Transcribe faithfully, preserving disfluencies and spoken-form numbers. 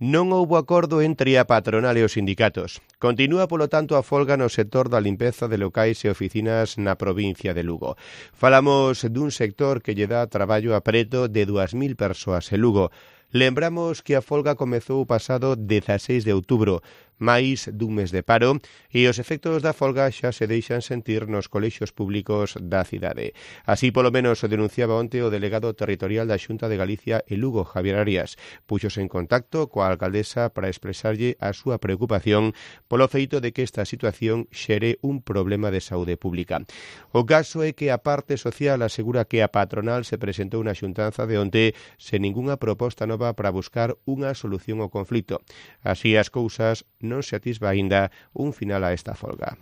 Non houbo acordo entre a patronal e os sindicatos. Continúa, polo tanto, a folga no sector da limpeza de locais e oficinas na provincia de Lugo. Falamos dun sector que lle dá traballo a preto de dúas mil persoas en Lugo. Lembramos que a folga comezou o pasado dezaseis de outubro, máis dun mes de paro, e os efectos da folga xa se deixan sentir nos colexios públicos da cidade. Así, polo menos, o denunciaba onte o delegado territorial da Xunta de Galicia en Lugo, Javier Arias. Puxose en contacto coa alcaldesa para expresarlle a súa preocupación polo feito de que esta situación xere un problema de saúde pública. O caso é que a parte social asegura que a patronal se presentou na xuntanza de onte sen ningunha proposta nova para buscar unha solución ao conflito. Así as cousas, non se atisba aínda un final a esta folga.